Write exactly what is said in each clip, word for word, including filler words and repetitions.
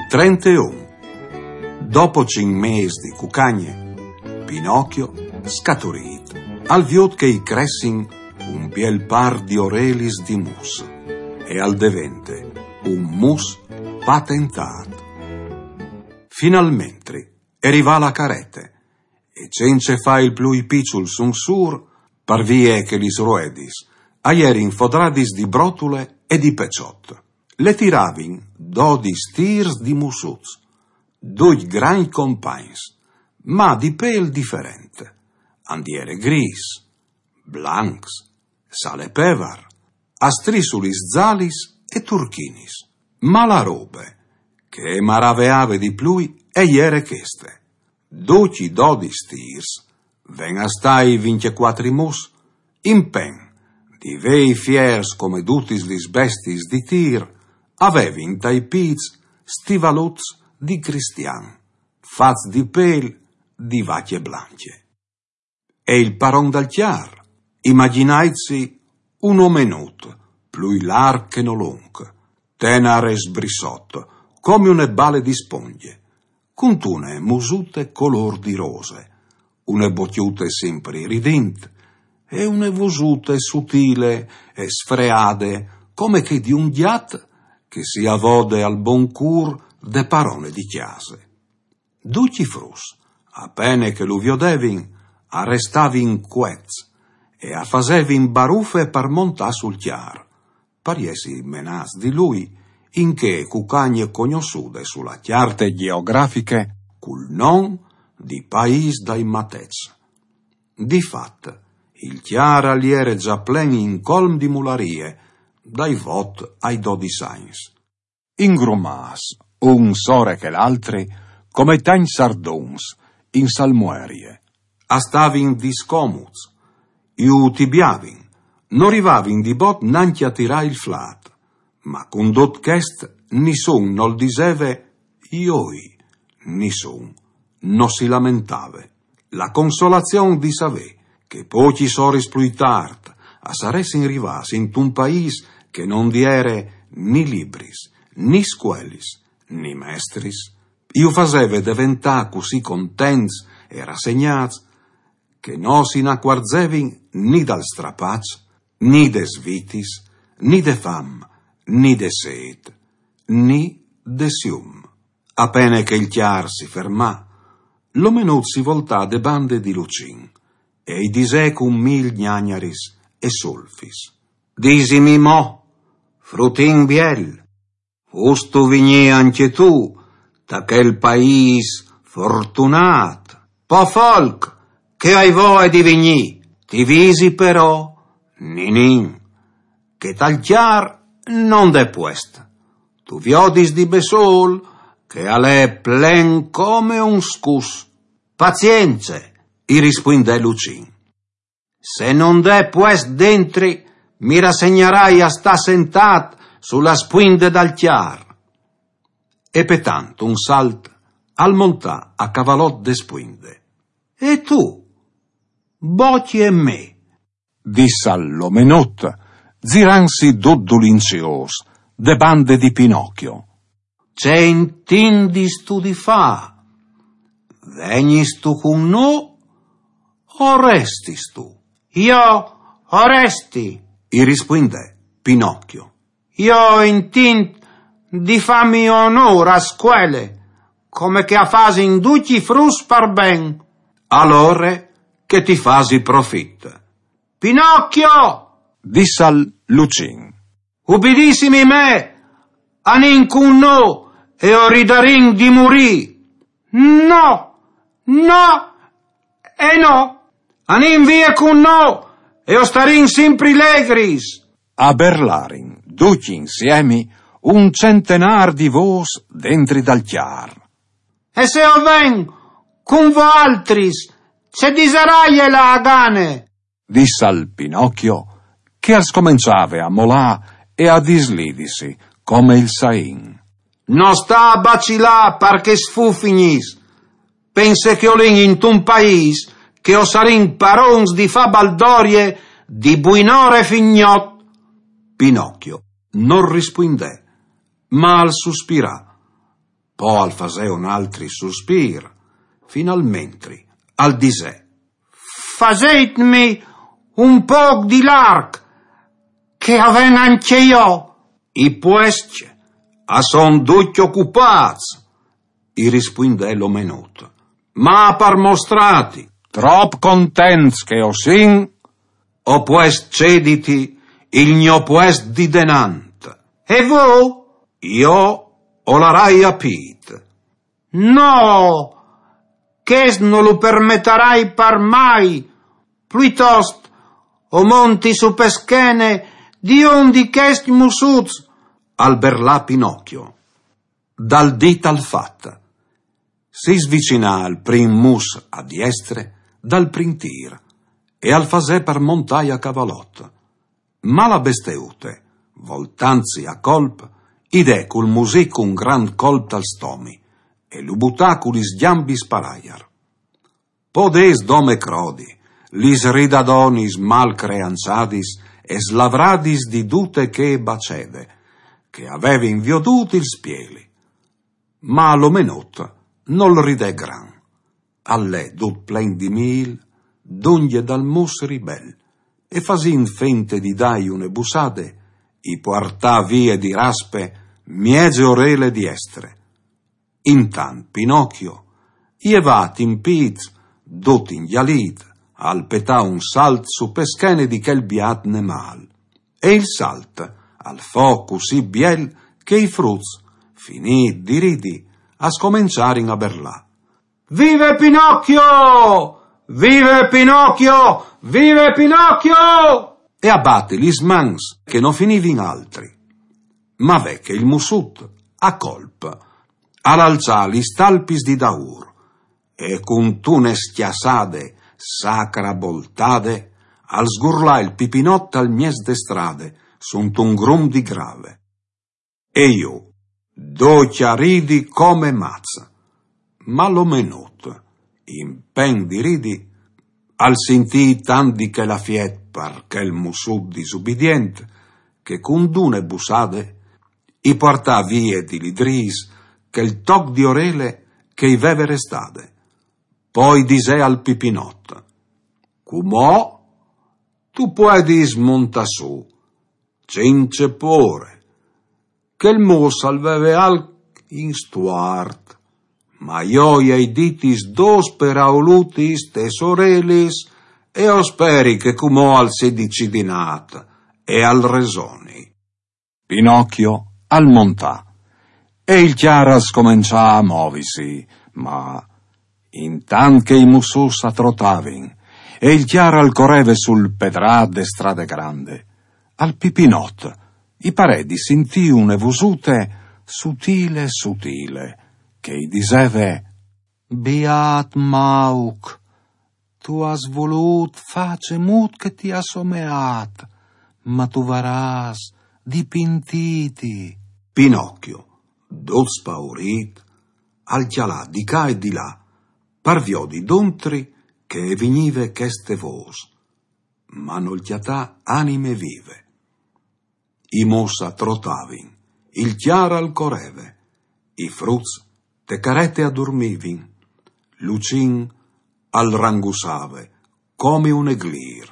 Trenteun. Dopo cinc mês di cucagne, Pinocchio, scaturît, al viôt che i cressin un biel pâr di orelis di mus e al devente un mus patentât. Finalmentri e rivà la carete e, cence fâ il plui piçul sunsûr, par vie che lis roedis a jerin fodradis di brotule e di peçot, le tiravin dodis tîrs di mussuts, ducj grancj compagns, ma di pêl diferent. A 'nd jere grîs, blancs, salepevar, a strissulis zalis e turchinis. Ma la robe che e maraveave di plui e jere cheste: ducj i dodis tîrs, ven a stâi vincjecuatri mus, in pen, di vei fiers come dutis lis bestiis di tîr, a vevin tai pîts stivaluts di cristian, fats di pêl di vacje blancje. E il paron dal cjar, imaginaitsi un omenut, plui larc che no lunc, tenar e sbrissot, come une bale di spongje, cuntune musute colôr di rose, une bocjute simpri ridint e une vosute sutile e sfreade, come chê di un gjat che si avode al bon cûr de parone di cjase. Ducj i fruts, a pene che lu viodevin, a restavin cuets e a fasevin barufe par montâ sul cjar, par jessi menâts di lui in chê cucagne cognossude su la cjarte gjeografiche cul non di Paîs dai Matets. Di fat, il cjar al jere za plen in colm di mularie, dai vot ai dodis agns. Ingrumâts, un sore chel altri, come tancj sarduns in salmuerie. A stavin discomuts, ju tibiavin, no rivavin di bot nancje a tirâ il flât, ma cun dut chest nissun nol diseve joi, nissun no si lamentave. La consolazion di savê che pocjis oris plui tart a saressin rivâts intun paîs che no 'nd jere ni libris, ni scuelis, ni mestris, ju faseve deventâ cussì contents e rassegnâts che no si inacuarzevin ni dal strapaç, ni des vitis, ni de fam, ni de sêt, ni de sium. A pene che il cjar si fermà, l'omenut si voltà de bande di Lucin e i disè cun mil gnagnaris e sulfis: Disimi mo, frutin biel, vustu vignî ancje tu ta chel paîs fortunât? Po folk, che o ai voie di vignî. Ti visi però, ninin, che tal cjar no 'nd è puest. Tu viodis di bessôl che al è plen come un scus. Pazience, i rispuindè Lucin. Se no 'nd è puest dentri, mi rassegnarai a stâ sentât su la spuinde dal cjar. E petant un salt al montà a cavalot de spuinde. E tu? Bocje me, dissal l'omenut, zirantsi dut dulinziôs de bande di Pinocchio. Ce intindistu di fâ? Vegnistu cun nô o restistu? Jo o resti, i rispuindè Pinocchio. Jo o intint di fâmi onôr a scuele, come che a fasin ducj i fruts par ben. Alore che ti fasi profit. Pinocchio! Dissal Lucin. Ubidissimi me, anìn cun nô e o ridarìn di murî. No, no e no. Anìn vie cun nô e o starìn simpri legris. A berlarin ducj insiemi un centenâr di vôs dentri dal cjar. E se o ven cun voaltris, ce disaraie la Agane? Dissal Pinocchio, che al scomençave a molâ e a dislidisi come il sain. No sta a bacilâ par chês fufinis. Pense che o lin intun paîs che o sarìn parons di fâ baldorie di buinore fin gnot. Pinocchio nol rispuindè, ma al suspirà. Po al fasè un altri suspir, finalmentri al disè: «Fasêtmi un pôc di larc, che o ven ancje jo.» «I puescj a son ducj ocupâts», i rispuindè l'omenut, «ma par mostrâti trop contents che o sin, o pues cediti il gno puest di denant.» «E vô?» «Jo o larai a pît.» «No, chest no lu permetarai par mai. Pluitost o monti su pe schene di un di chescj mussuts», al berlà Pinocchio. Dal dit al fat, si svicinà al prin mus a diestre dal prin tîr e al fasè par montâi a cavalot. Ma la besteute, voltantsi a colp, i dè cul music un grant colp tal stomi e lu butà cu lis gjambis par aiar. Podês dome crodi lis ridadonis mal creançadis e slavradis di dute chê bacede, che a vevin viodût il spieli. Ma l'omenut nol ridè gran. Al lè dut plen di mîl, dongje dal mus ribel, e fasint fente di dâi une bussade, i puartà vie di raspe mieze orele diestre. Intant Pinocchio, jevât in pîts, dut ingjalît, al petà un salt su pe schene di chel biât nemâl. E il salt al fo cussì biel che i fruts, finît di ridi, a scomençarin a berlâ: «Vive Pinocchio! Vive Pinocchio! Vive Pinocchio!» E a bati lis mans che no finivin altri. Ma ve che il mussut, a colp, al alçà lis talpis di daûr e cuntune scjassade sacraboltade al sgurlà il Pipinot al mieç de strade, suntun grum di grave. E jù, ducj a ridi come mats. Ma l'omenut, in plen di ridi, al sintì tant di chel afiet par chel mussut disubidient, che cun dune bussade i puartà vie di li dris chel toc di orele che i veve restade. Po i disè al Pipinot: «Cumò tu puedis montâ sù, cence pôre. Chel mus al veve alc in stuart, ma jo i ai ditis dôs peraulutis tes orelis e o speri che cumò al sedi cidinât e al resoni.» Pinocchio al montà e il cjar al scomençà a movisi, ma intant che i mussuts a trotavin e il cjar al coreve sul pedrât de strade grande, al Pipinot i parè di sintî une vosute sutile sutile che i diseve: «Biât mauc, tu âs volût fâ cemût che ti à someât, ma tu varâs di pentîti.» Pinocchio, dut spaurît, al cjalà di ca e di là, par viodi duntri che e vignive cheste vôs, ma nol cjatà anime vive. I mus a trotavin, il cjar al coreve, i fruts te carete a durmivin, Lucin al rangussave come un eglîr,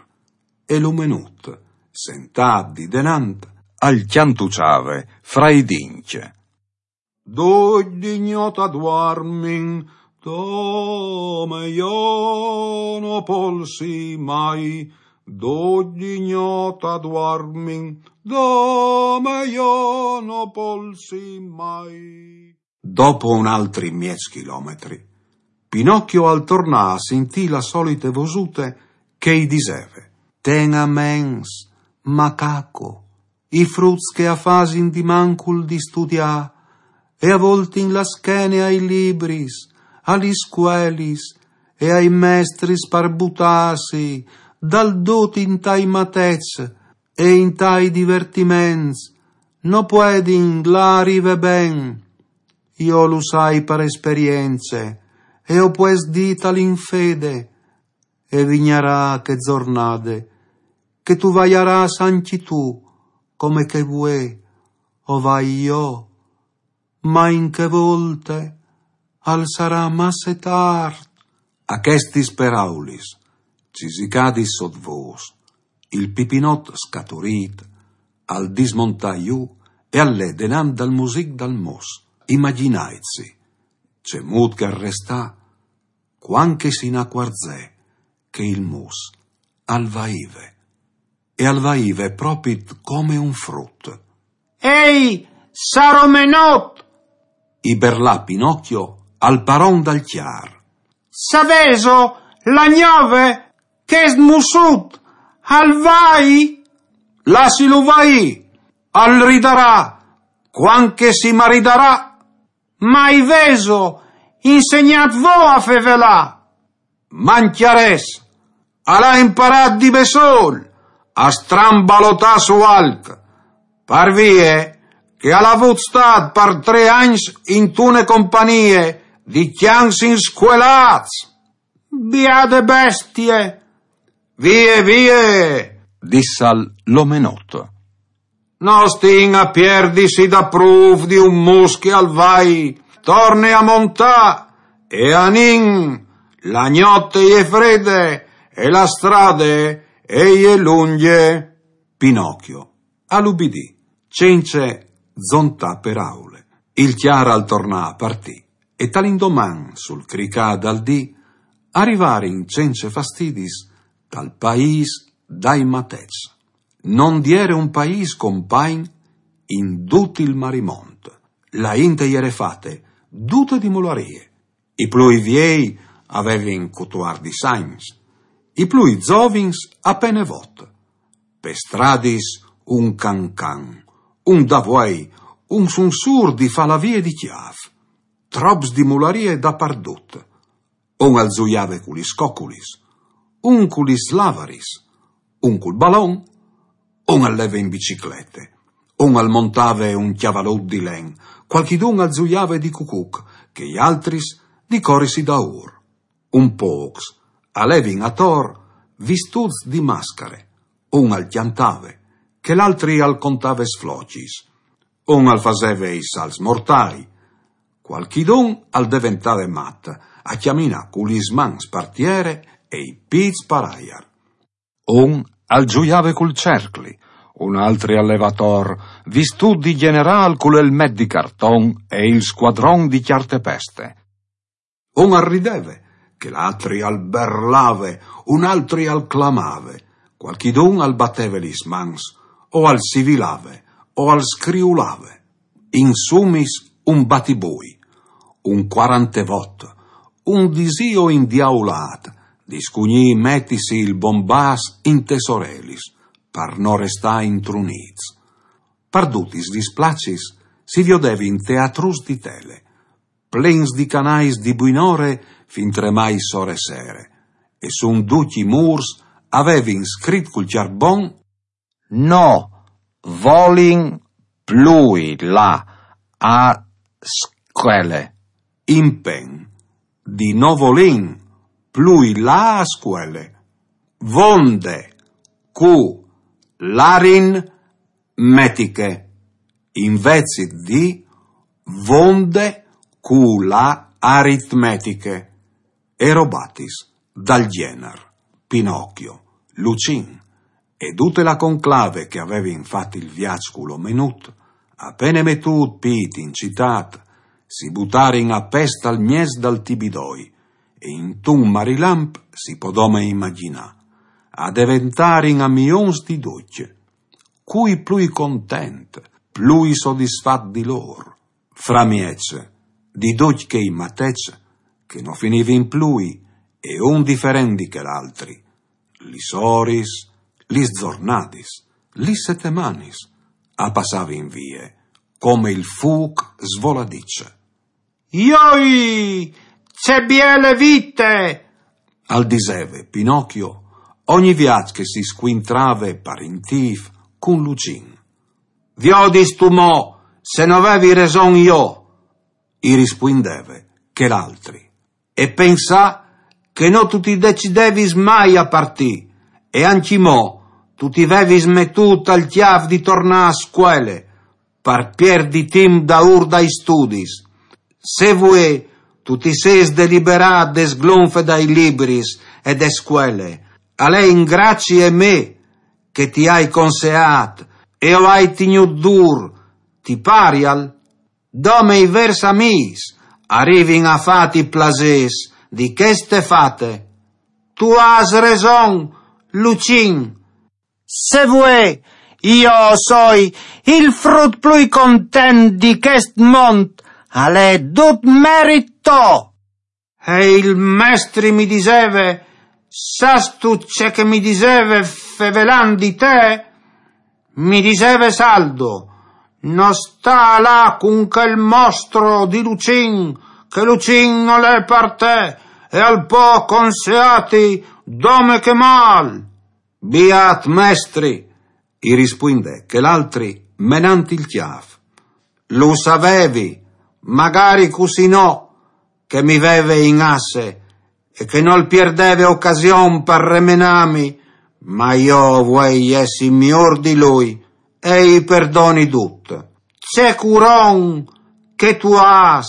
e l'omenut, sentât di denant, al cjantuçave fra i dincj: «Ducj di gnot a duarmin, dome jo no polsi mai, ducj di gnot a duarmin, dome jo no polsi mai.» Dopo un altri mieç chilometri, Pinocchio al tornà a sintî la solite vosute che i diseve: «Ten a ments, macaco, i fruts che a fasin di mancul di studiâ e a voltin la schene ai libris, a lis scuelis e ai mestris par butâsi dal dut intai mateçs e intai divertiments, no puedin lâ a rive ben. Jo lu sai par esperience e o pues dîtal in fede, e vignarà chê zornade che tu vaiarâs ancje tu, come che vuê o vai jo, Ma in chê volte al sarà masse tart. A chestis peraulis, cisicadis sot vôs, il Pipinot scaturît al dismontà jù e al lè denant dal music dal mos. Imaginaitsi cemût che al restà cuant che si inacuarzè che il mus al vaive, e al vaive propit come un frut. «Ei, sar omenot!» i berlà Pinocchio al paron dal cjar. «Savêso, la gnove, chest mussut al vai?» «Lassilu vaî, al ridarà cuant che si maridarà.» «Ma i vêso insegnât vô a fevelâ?» «Mancjarès, al à imparât di bessôl a strambalotâ su alc, par vie che al à vût stât par trê agns intune companie di cjans inscuelâts.» «Biade bestie!» «Vie, vie!» dissal l'omenot. «No stin a pierdisi daprûf di un mus che al vai. Torne a montâ e anìn, la gnot e je frede e la strade e je lungje.» Pinocchio al ubidì cence zontâ peraule. Il cjar al tornà a partî e tal indoman sul cricâ dal dì a rivarin cence fastidis tal paîs dai matets. No 'nd jere un paîs compagn in dut il marimont. La int e jere fate dute di mularie. I plui viei a vevin cutuardis agns, i plui zovins a pene vot. Pes stradis un can can, un davuei, un sunsûr di falavie di cjâf. Trops di mularie dapardut. Un al zuiave cu lis coculis, un cu lis lavaris, un cul balon, un al leve in biciclete, un al montave un cjavalut di len, cualchidun al zuiave di cucuc, chei altris di corisi daûr. Un pôcs a levin ator vistûts di mascare, un al cjantave, chel altri al contave sflocis, un al faseve i salts mortâi, cualchidun al deventave mat a cjaminâ cu lis mans par tiere e i pîts par aiar. Un al zuiave cul cercli, un altri al leve ator vistût di gjenerâl cul elmet di carton e il scuadron di cjarte peste. Un al rideve, chel altri al berlave, un altri al clamave, cualchidun al bateve lis mans, o al sivilave, o al scriulave. In sumis un batibui, un cuarantevot, un disio indiaulât, discugnì metisi il bombâs intes orelis, par no restâ intrunîts. Par dutis lis placis si viodevin teatrus di tele, plens di canais di buinore fintremai sore sere, e sun ducj i mûrs a vevin scrit cul cjarbon: «No volin plui lâ a scuele.» Impen di no volin plui lâ a scuele. Vonde cu l'arin- metiche, invezit di vonde cu la aritmetiche, e robatis dal gjenar. Pinocchio, Lucin e dute la conclave che a vevin fat il viaç cul omenut, a pene metût pît in citât, si butarin a pest al mieç dal tibidoi e intun marilamp, si pò dome imagjinâ, a deventarin amions di ducj. Cui plui content, plui sodisfat di lôr? Framieç di ducj chei matets che no finivin plui, e un diferent di chel altri, lis oris, lis zornadis, lis setemanis a passavin vie come il fûc svoladît. «Joi, ce biele vite!» al diseve Pinocchio ogni viaç che si scuintrave par intîf cun Lucin. «Viodistu mo se no vevi reson jo», i rispuindeve chel altri. «E pensà che no tu ti decidevis mai a partî, e ancjemò tu ti vevis metût al cjâf di tornâ a scuele, par pierdi timp daûr dai studis. Se vuê tu ti sês deliberât de sglonfe dai libris e de scuele, al è in gracie mê che ti ai conseât e o ai tignût dûr, ti parial? Dome i vêrs amîs a rivin a fâti plasês di cheste fate. Tu âs reson, Lucin. Se vuê, jo o soi il frut plui content di chest mont, al è dut merit to. E il mestri mi diseve, sâstu ce che mi diseve fevelant di te? Mi diseve Saldo, no stâ lâ cun chel mostro di Lucin, che Lucin nol è par te, e al pò conseâti dome che mâl. Biât mestri, i rispuindè chel altri menant il cjâf. Lu savevi, magari cussì no, che mi veve in asse e che nol pierdeve ocasion par remenâmi, ma jo o vuei jessi miôr di lui e i perdoni dut. Ce curon che tu âs!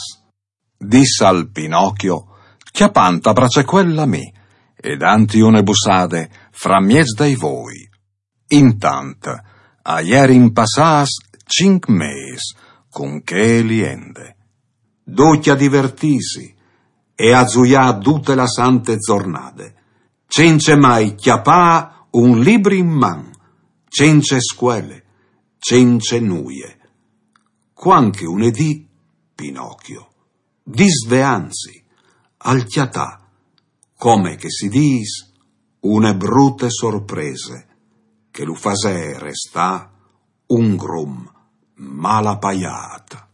Dissal Pinocchio, cjapant a bracecuel la mê e danti une bussade fra mieç dai voi. Intant a jerin passâts cinc mês cun chê liende. Ducj a divertîsi e a zuiâ dute la sante zornade, cence mai cjapâ un libri in man, cence scuele, cence nuie. Cuant che une dì Pinocchio, disveantsi, al cjatà, come che si dîs, une brute sorprese che lu fasè restâ un grum mal apaiât.